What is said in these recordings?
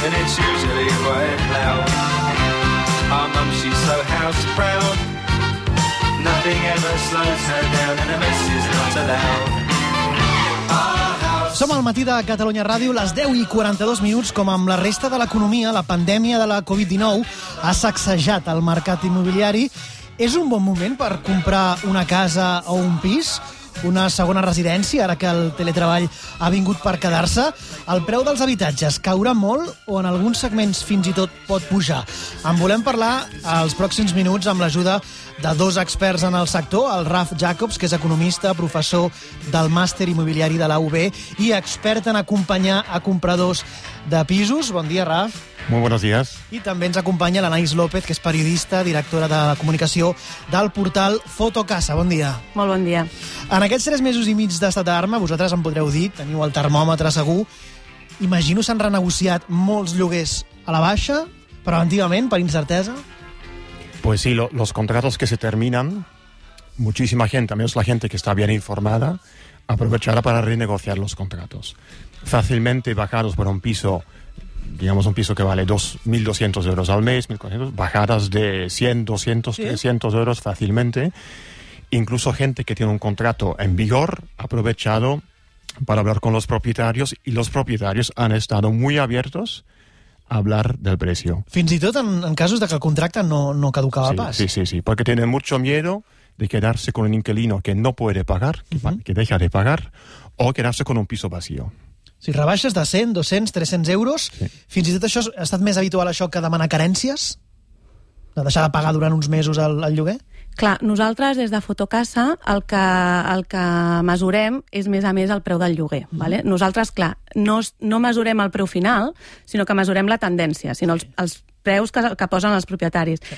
and it's usually quite loud. Our mum, she's so house proud. Nothing ever slows her down, and a mess is not allowed. Som al matí de Catalunya Ràdio, les 10:42, com amb la resta de l'economia, la pandèmia de la Covid-19 ha sacsejat el mercat immobiliari. És un bon moment per comprar una casa o un pis? Una segona residència, ara que el teletreball ha vingut per quedar-se? El preu dels habitatges caurà molt o en alguns segments fins i tot pot pujar? En volem parlar als pròxims minuts amb l'ajuda de dos experts en el sector, el Raf Jacobs, que és economista, professor del màster immobiliari de la UB i expert en acompanyar a compradors de pisos. Bon dia, Raf. Muy buenos días. I també ens acompanya l'Anaïs López, que és periodista, directora de la comunicació del portal Fotocasa. Bon dia. Molt bon dia. En aquests 3 mesos i mig d'estat d'alarma, vosaltres em podreu dir, teniu el termòmetre segur, imagino s'han renegociat molts lloguers a la baixa, preventivament, per incertesa? Pues sí, los contratos que se terminan, muchísima gente, al menos la gente que está bien informada, aprovechará para renegociar los contratos. Fácilmente bajados por un piso, digamos un piso que vale 1.200 euros al mes, 1.400, bajadas de 100, 200, ¿sí? 300 euros fácilmente. Incluso gente que tiene un contrato en vigor ha aprovechado para hablar con los propietarios y los propietarios han estado muy abiertos a hablar del precio. Fins i tot en casos de que el contracte no caducava pas. Sí, porque tienen mucho miedo de quedarse con un inquilino que no puede pagar, que deja de pagar, o quedarse con un piso vacío. Si rebaixes de 100, 200, 300 euros, sí. Fins i tot això ha estat més habitual això que demanar carències? De deixar de pagar durant uns mesos el lloguer? Clar, nosaltres des de Fotocasa el que mesurem és més a més el preu del lloguer. Vale? Nosaltres, clar, no mesurem el preu final, sinó que mesurem la tendència, sinó els preus que posen els propietaris. Sí.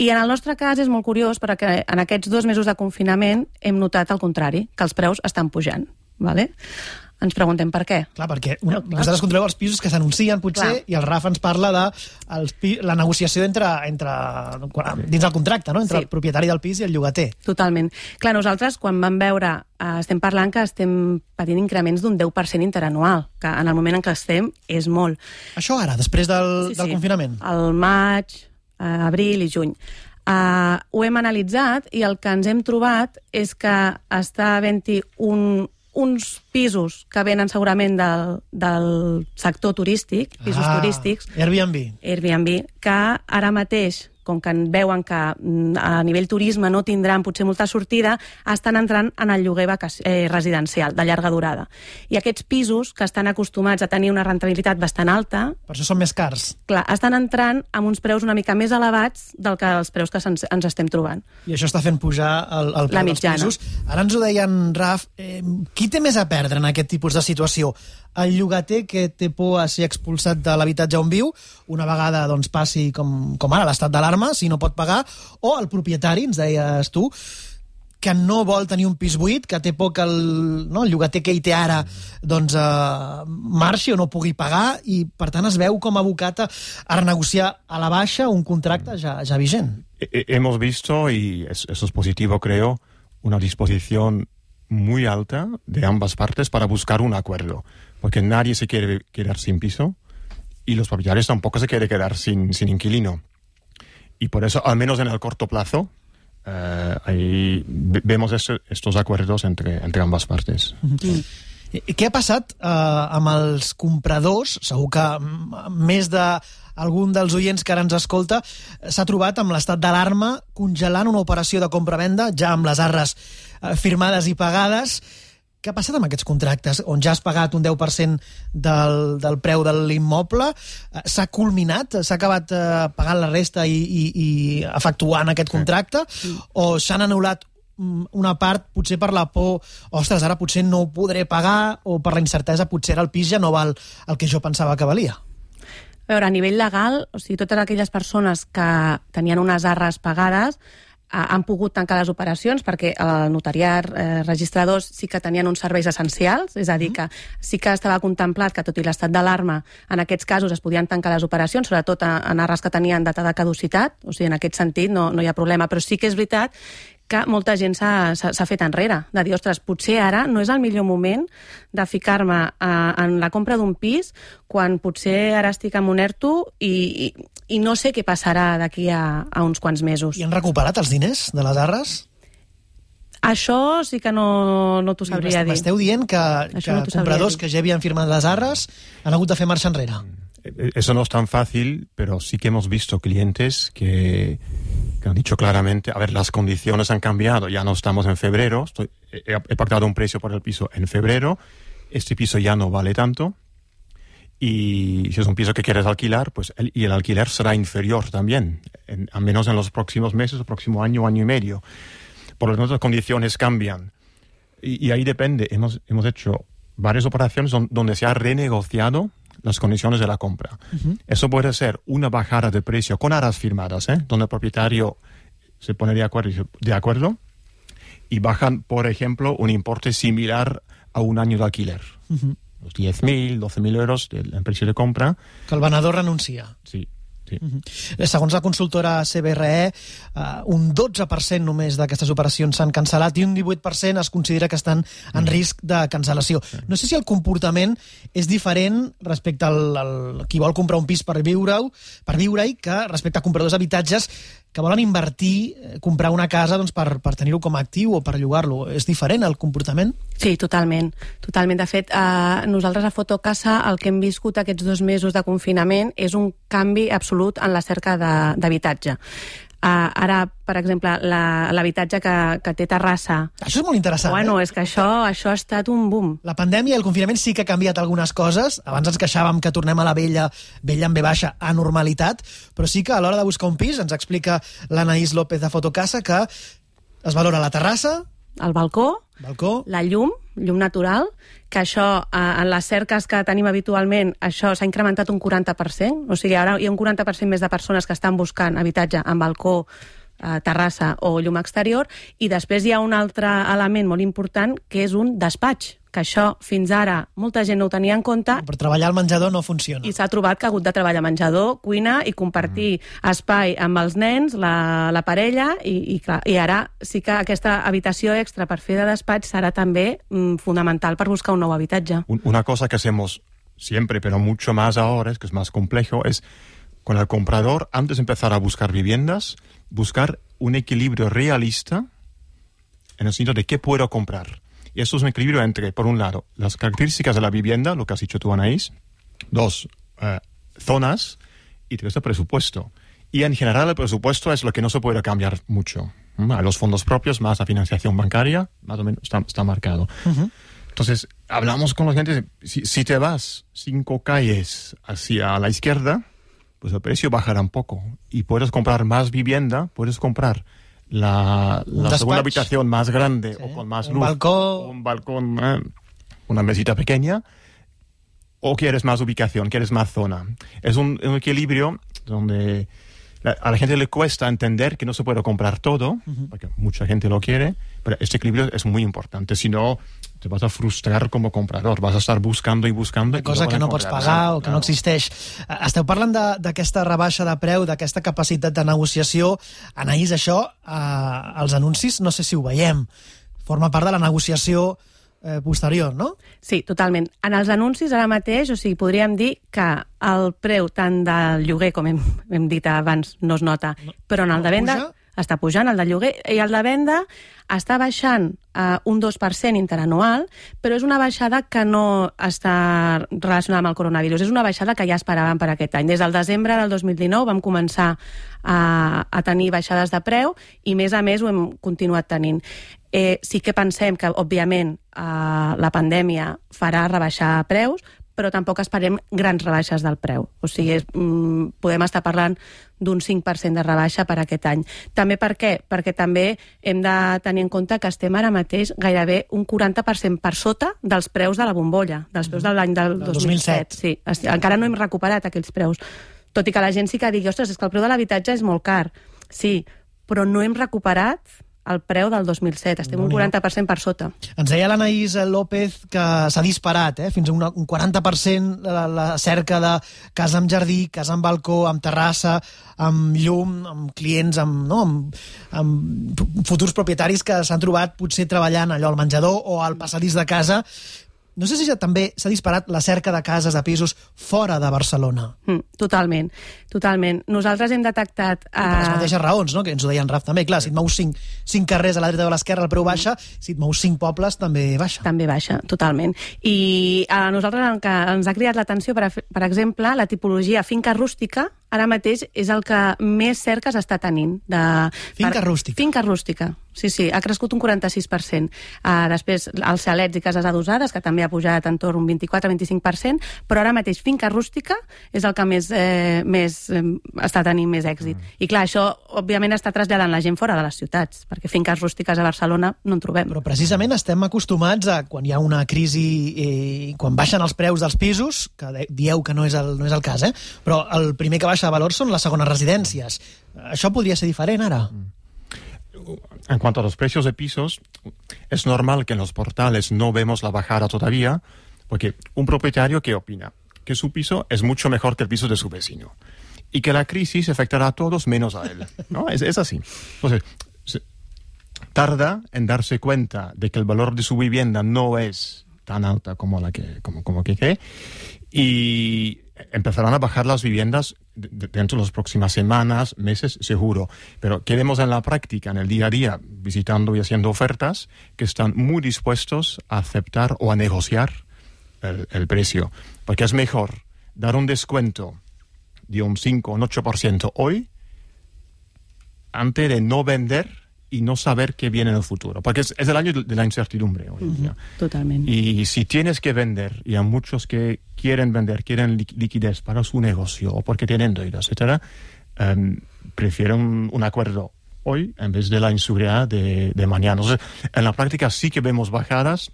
I en el nostre cas és molt curiós perquè en aquests 2 mesos de confinament hem notat el contrari, que els preus estan pujant. Vale? Ens preguntem per què. Clar, perquè vosaltres controleu els pisos que s'anuncien, potser, i el Raf ens parla de la negociació dins del contracte, no? Entre el propietari del pis i el llogater. Totalment. Clar, nosaltres, quan vam veure, estem parlant que estem patint increments d'un 10% interanual, que en el moment en què estem és molt. Això ara, després del confinament? Al maig, abril i juny. Ho hem analitzat i el que ens hem trobat és que està havent-hi uns pisos que venen segurament del sector turístic, pisos turístics. Airbnb. Que ara mateix, com que veuen que a nivell turisme no tindran potser molta sortida, estan entrant en el lloguer residencial de llarga durada. I aquests pisos, que estan acostumats a tenir una rentabilitat bastant alta... Per això són més cars. Clar, estan entrant amb uns preus una mica més elevats del que els preus que ens estem trobant. I això està fent pujar el preu dels pisos. Ara ens ho deien, Raf, qui té més a perdre en aquest tipus de situació? El llogater que té por a ser expulsat de l'habitatge on viu, una vegada passi com ara l'estat d'alarma, si no pot pagar, o el propietari, ens deies tu, que no vol tenir un pis buit, que té por que el llogater que hi té ara marxi o no pugui pagar, i per tant es veu com abocat a renegociar a la baixa un contracte ja vigent. Hemos visto, y eso es positivo creo, una disposición muy alta de ambas partes para buscar un acuerdo, porque nadie se quiere quedar sin piso y los propietarios tampoco se quieren quedar sin inquilino. Y por eso, al menos en el corto plazo, ahí vemos estos acuerdos entre ambas partes. Què ha passat amb els compradors? Segur que més d'algun dels oients que ara ens escolta s'ha trobat amb l'estat d'alarma congelant una operació de compra-venda, ja amb les arres firmades i pagades. Què ha passat amb aquests contractes on ja has pagat un 10% del preu de l'immoble? S'ha culminat? S'ha acabat pagant la resta i efectuant aquest contracte? O s'han anul·lat una part, potser per la por, ostres, ara potser no ho podré pagar, o per la incertesa, potser el pis ja no val el que jo pensava que valia? A veure, a nivell legal, o sigui, totes aquelles persones que tenien unes arres pagades han pogut tancar les operacions perquè el notariat, registradors, sí que tenien uns serveis essencials, és a dir, que sí que estava contemplat que tot i l'estat d'alarma, en aquests casos es podien tancar les operacions, sobretot en arres que tenien data de caducitat, o sigui, en aquest sentit no hi ha problema, però sí que és veritat que molta gent s'ha fet enrere, de dir, ostres, potser ara no és el millor moment de ficar-me en la compra d'un pis quan potser ara estic en un ERTO i no sé què passarà d'aquí a uns quants mesos. I han recuperat els diners de les arres? Això sí que no t'ho sabria dir. M'esteu dient que compradors que ja havien firmat les arres han hagut de fer marxa enrere. Eso no es tan fácil, pero sí que hemos visto clientes que han dicho claramente, a ver, las condiciones han cambiado, ya no estamos en febrero, he pactado un precio por el piso en febrero, este piso ya no vale tanto, y si es un piso que quieres alquilar, pues el alquiler será inferior también, al menos en los próximos meses, el próximo año, año y medio. Por lo tanto, las condiciones cambian. Y ahí depende, hemos hecho varias operaciones donde se ha renegociado las condiciones de la compra. Uh-huh. Eso puede ser una bajada de precio con arras firmadas, donde el propietario se pone de acuerdo y bajan, por ejemplo, un importe similar a un año de alquiler. Uh-huh. Los 10.000, 12.000 euros del precio de compra. Que el venedor renuncia. Sí. Segons la consultora CBRE, un 12% només d'aquestes operacions s'han cancel·lat i un 18% es considera que estan en risc de cancel·lació. No sé si el comportament és diferent respecte al qui vol comprar un pis per viure-hi que respecte a compradors d'habitatges que volen invertir, comprar una casa doncs, per tenir-ho com a actiu o per llogar-lo. És diferent el comportament? Sí, totalment. De fet, nosaltres a Fotocasa el que hem viscut aquests 2 mesos de confinament és un canvi absolut en la cerca d'habitatge. Ara, per exemple, l'habitatge que té terrassa... Això és molt interessant, Bueno, és que això ha estat un boom. La pandèmia i el confinament sí que ha canviat algunes coses. Abans ens queixàvem que tornem a la vella amb B baixa, a normalitat, però sí que a l'hora de buscar un pis, ens explica l'Anaís López de Fotocasa, que es valora la terrassa, el balcó, la llum natural, que això, en les cerques que tenim habitualment, això s'ha incrementat un 40%, o sigui, ara hi ha un 40% més de persones que estan buscant habitatge amb balcó, terrassa o llum exterior, i després hi ha un altre element molt important, que és un despatx, que això fins ara molta gent no ho tenia en compte. Per treballar al menjador no funciona. I s'ha trobat que ha hagut de treballar menjador, cuina i compartir espai amb els nens, la parella, i ara sí que aquesta habitació extra per fer de despatx serà també fundamental per buscar un nou habitatge. Una cosa que hacemos siempre, pero mucho más ahora, es que es más complejo, es con el comprador, antes de empezar a buscar viviendas, buscar un equilibrio realista en el sentido de qué puedo comprar. Y esto es un equilibrio entre, por un lado, las características de la vivienda, lo que has dicho tú, Anaís, 2, zonas, y 3, el presupuesto. Y en general el presupuesto es lo que no se puede cambiar mucho. A los fondos propios, más la financiación bancaria, más o menos está marcado. Uh-huh. Entonces, hablamos con los clientes, si te vas 5 calles hacia la izquierda, pues el precio bajará un poco. Y puedes comprar más vivienda, puedes comprar la segunda habitación más grande, sí, o con más luz, un balcón, una mesita pequeña, o quieres más ubicación, quieres más zona. Es un equilibrio donde a la gente le cuesta entender que no se puede comprar todo, porque mucha gente lo quiere, pero este equilibrio es muy importante. Si no, te vas a frustrar como comprador, vas a estar buscando i buscando. Una cosa que no pots pagar o que no existeix. Esteu parlant d'aquesta rebaixa de preu, d'aquesta capacitat de negociació. Anaís, això, als anuncis, no sé si ho veiem. Forma part de la negociació posterior, no? Sí, totalment. En els anuncis ara mateix, o sigui, podríem dir que el preu tant del lloguer, com hem dit abans, no es nota, però en el de venda està pujant, el de lloguer, i el de venda està baixant un 2% interanual, però és una baixada que no està relacionada amb el coronavirus, és una baixada que ja esperàvem per aquest any. Des del desembre del 2019 vam començar a tenir baixades de preu i, més a més, ho hem continuat tenint. Sí que pensem que, òbviament, la pandèmia farà rebaixar preus, però tampoc esperem grans rebaixes del preu. O sigui, podem estar parlant d'un 5% de rebaixa per aquest any. També per què? Perquè també hem de tenir en compte que estem ara mateix gairebé un 40% per sota dels preus de la bombolla, dels preus de l'any del 2007. Sí, encara no hem recuperat aquells preus. Tot i que la gent sí que digui, ostres, és que el preu de l'habitatge és molt car. Sí, però no hem recuperat el preu del 2007. Estem un 40% per sota. Ens deia l'Anaïs López que s'ha disparat, fins a un 40% la cerca de casa amb jardí, casa amb balcó, amb terrassa, amb llum, amb clients, amb futurs propietaris que s'han trobat potser treballant allò al menjador o al passadís de casa. No sé si també s'ha disparat la cerca de cases, de pisos, fora de Barcelona. Totalment. Nosaltres hem detectat... Per les mateixes raons, no?, que ens ho deia en Raf també. Clar, si et mous 5 carrers a la dreta o a l'esquerra el preu baixa, si et mous 5 pobles també baixa. També baixa, totalment. I a nosaltres ens ha cridat l'atenció, per exemple, la tipologia finca rústica, ara mateix és el que més cerques està tenint. Finca rústica. Finca rústica, sí, ha crescut un 46%. Després, els xalets i cases adossades, que també ha pujat entorn un 24-25%, però ara mateix finca rústica és el que més està tenint més èxit. I clar, això, òbviament, està traslladant la gent fora de les ciutats, perquè finques rústiques a Barcelona no en trobem. Però precisament estem acostumats a, quan hi ha una crisi, quan baixen els preus dels pisos, que dieu que no és el cas, però el primer que baixa de valor son las segones residencias. ¿Això podría ser diferente ahora? En cuanto a los precios de pisos, es normal que en los portales no vemos la bajada todavía, porque un propietario, ¿qué opina? Que su piso es mucho mejor que el piso de su vecino. Y que la crisis afectará a todos menos a él, ¿no? Es así. Entonces, tarda en darse cuenta de que el valor de su vivienda no es tan alta como que cree, y empezarán a bajar las viviendas dentro de las próximas semanas, meses, seguro. Pero ¿qué vemos en la práctica, en el día a día, visitando y haciendo ofertas, que están muy dispuestos a aceptar o a negociar el precio? Porque es mejor dar un descuento de un 5 o un 8% hoy antes de no vender y no saber qué viene en el futuro. Porque es el año de la incertidumbre hoy en día. Totalmente. Y si tienes que vender, y a muchos que quieren vender, quieren liquidez para su negocio o porque tienen deudas, etcétera, prefieren un acuerdo hoy en vez de la inseguridad de mañana. Entonces, en la práctica sí que vemos bajadas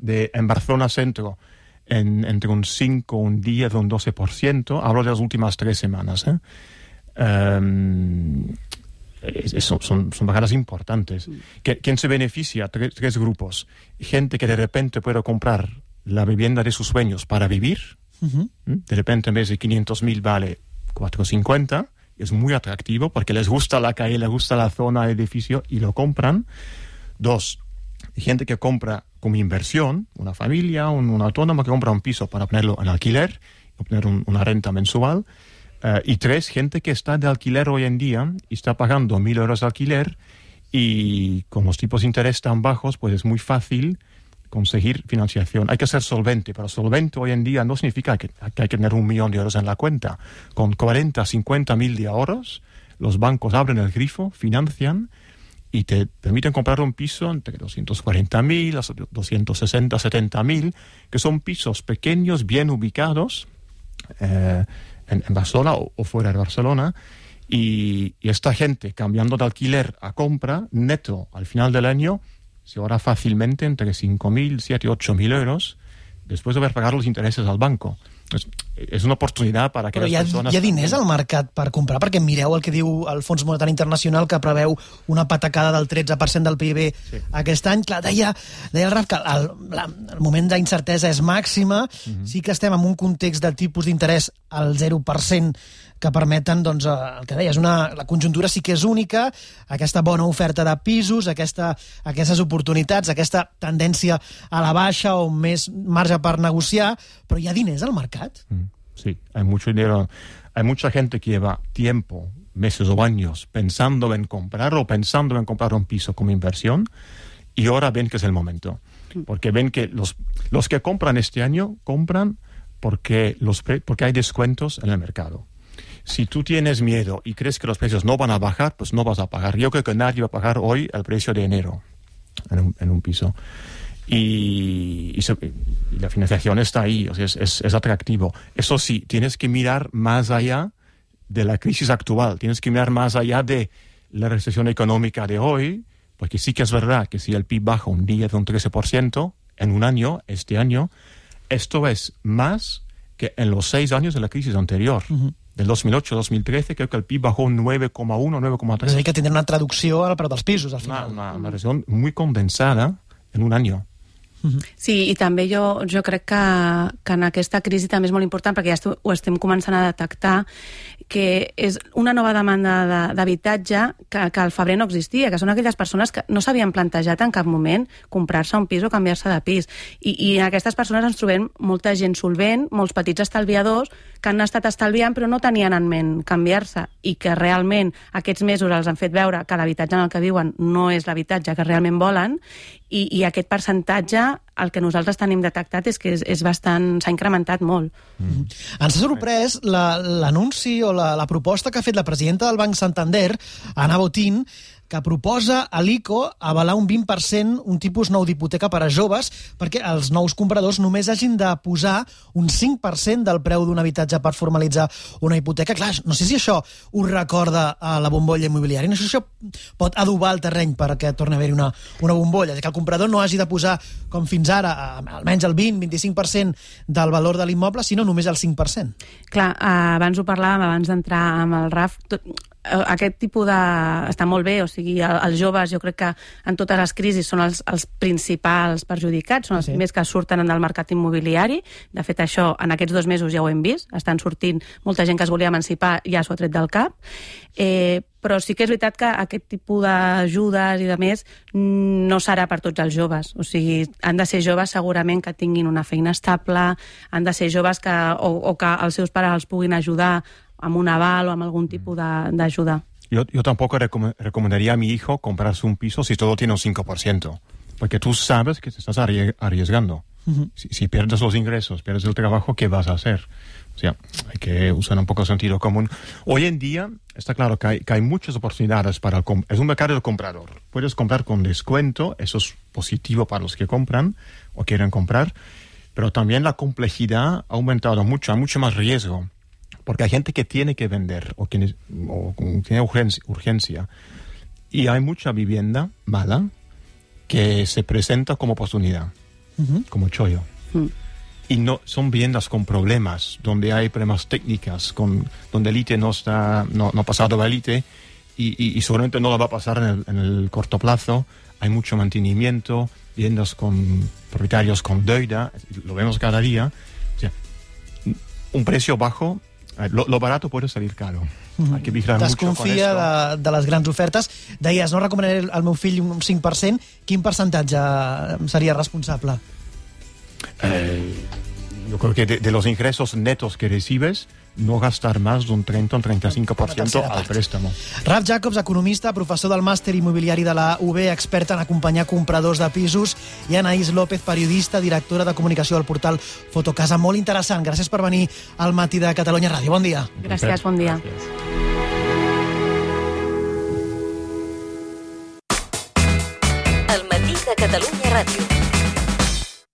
en Barcelona Centro entre un 5, un 10, un 12%. Hablo de las últimas 3 semanas. Son bajadas importantes. ¿Quién se beneficia? Tres grupos. Gente que de repente puede comprar la vivienda de sus sueños para vivir. De repente, en vez de 500.000 vale 450. Es muy atractivo porque les gusta la calle, les gusta la zona, el edificio, y lo compran. 2, gente que compra como inversión, una familia, un autónomo que compra un piso para ponerlo en alquiler, obtener una renta mensual. Y 3, gente que está de alquiler hoy en día y está pagando 1.000 euros de alquiler, y con los tipos de interés tan bajos, pues es muy fácil conseguir financiación. Hay que ser solvente, pero solvente hoy en día no significa que hay que tener 1 millón de euros en la cuenta. Con 40, 50.000 de ahorros, los bancos abren el grifo, financian y te permiten comprar un piso entre 240.000 hasta 260, 70.000, que son pisos pequeños, bien ubicados, en Barcelona o fuera de Barcelona, y esta gente, cambiando de alquiler a compra, neto al final del año se ahorra fácilmente entre 5.000, 7.000, 8.000 euros después de haber pagado los intereses al banco. És una oportunitat per a aquelles persones... Però hi ha diners al mercat per comprar, perquè mireu el que diu el Fons Monetari Internacional, que preveu una patacada del 13% del PIB aquest any. Clar, deia el Raf que el moment d'incertesa és màxima, sí que estem en un context de tipus d'interès al 0%, que permeten, doncs, el que deies, la conjuntura sí que és única, aquesta bona oferta de pisos, aquestes oportunitats, aquesta tendència a la baixa o més marge per negociar, però hi ha diners al mercat. Sí, hay mucho dinero. Hay mucha gente que lleva tiempo, meses o años, pensando en comprar un piso como inversión, y ahora ven que es el momento. Porque ven que los que compran este año compran porque hay descuentos en el mercado. Si tú tienes miedo y crees que los precios no van a bajar, pues no vas a pagar. Yo creo que nadie va a pagar hoy el precio de enero en un piso. Y la financiación está ahí, o sea, es atractivo. Eso sí, tienes que mirar más allá de la crisis actual, tienes que mirar más allá de la recesión económica de hoy, porque sí que es verdad que si el PIB baja un 10 o un 13% en un año, este año, esto es más que en los 6 años de la crisis anterior. del 2008-2013, creo que el PIB bajó un 9,1, 9,3. És a dir, que tindrà una traducció al preu dels pisos, al final. Una recesión muy condensada en un año. Sí, i també jo crec que en aquesta crisi també és molt important, perquè ja ho estem començant a detectar, que és una nova demanda d'habitatge que al febrer no existia, que són aquelles persones que no s'havien plantejat en cap moment comprar-se un pis o canviar-se de pis. I en aquestes persones ens trobem molta gent solvent, molts petits estalviadors que han estat estalviant però no tenien en ment canviar-se, i que realment aquests mesos els han fet veure que l'habitatge en el que viuen no és l'habitatge que realment volen, i aquest percentatge, el que nosaltres tenim detectat és que és bastant, s'ha incrementat molt. Ens ha sorprès l'anunci o la proposta que ha fet la presidenta del Banc Santander, Ana Botín, que proposa a l'ICO avalar un 20%, un tipus nou d'hipoteca per a joves, perquè els nous compradors només hagin de posar un 5% del preu d'un habitatge per formalitzar una hipoteca. Clar, no sé si això us recorda a la bombolla immobiliària, no sé si això pot adobar el terreny perquè torni a haver-hi una bombolla, que el comprador no hagi de posar, com fins ara, almenys el 20-25% del valor de l'immoble, sinó només el 5%. Clar, abans ho parlàvem, abans d'entrar amb el RAF, aquest tipus de... està molt bé, o sigui, els joves jo crec que en totes les crisis són els principals perjudicats, són els primers que surten del mercat immobiliari. De fet, això en aquests 2 mesos ja ho hem vist, estan sortint molta gent que es volia emancipar, ja s'ho ha tret del cap. Però sí que és veritat que aquest tipus d'ajudes i de més no serà per tots els joves. O sigui, han de ser joves segurament que tinguin una feina estable, han de ser joves que els seus pares els puguin ajudar amb un aval o amb algún tipus d'ajuda. Yo tampoco recomendaría a mi hijo comprarse un piso si todo tiene un 5%, porque tú sabes que te estás arriesgando. Si pierdes los ingresos, pierdes el trabajo, ¿qué vas a hacer? O sea, hay que usar un poco de sentido común. Hoy en día está claro que hay muchas oportunidades para es un mercado del comprador. Puedes comprar con descuento, eso es positivo para los que compran o quieren comprar, pero también la complejidad ha aumentado mucho, hay mucho más riesgo. Porque hay gente que tiene que vender o tiene urgencia. Y hay mucha vivienda mala que se presenta como oportunidad, como chollo. Y no son viviendas con problemas, donde hay problemas técnicas, donde el ITE no ha pasado el ITE y seguramente no lo va a pasar en el corto plazo. Hay mucho mantenimiento, viviendas con propietarios con deuda, lo vemos cada día. O sea, un precio bajo. Lo barato puede salir caro. Hay que vigilar mucho con Desconfia de les grans ofertes. Deies, no recomanaré al meu fill un 5%. Quin percentatge seria responsable? Yo creo que de los ingresos netos que recibes, no gastar más de un 30 o un 35% al préstamo. Raf Jacobs, economista, professor del màster immobiliari de la UB, expert en acompanyar compradors de pisos, i Anaïs López, periodista, directora de comunicació del portal Fotocasa. Molt interessant. Gràcies per venir al Matí de Catalunya Ràdio. Bon dia. Gràcies, bon dia. El Matí de Catalunya Ràdio.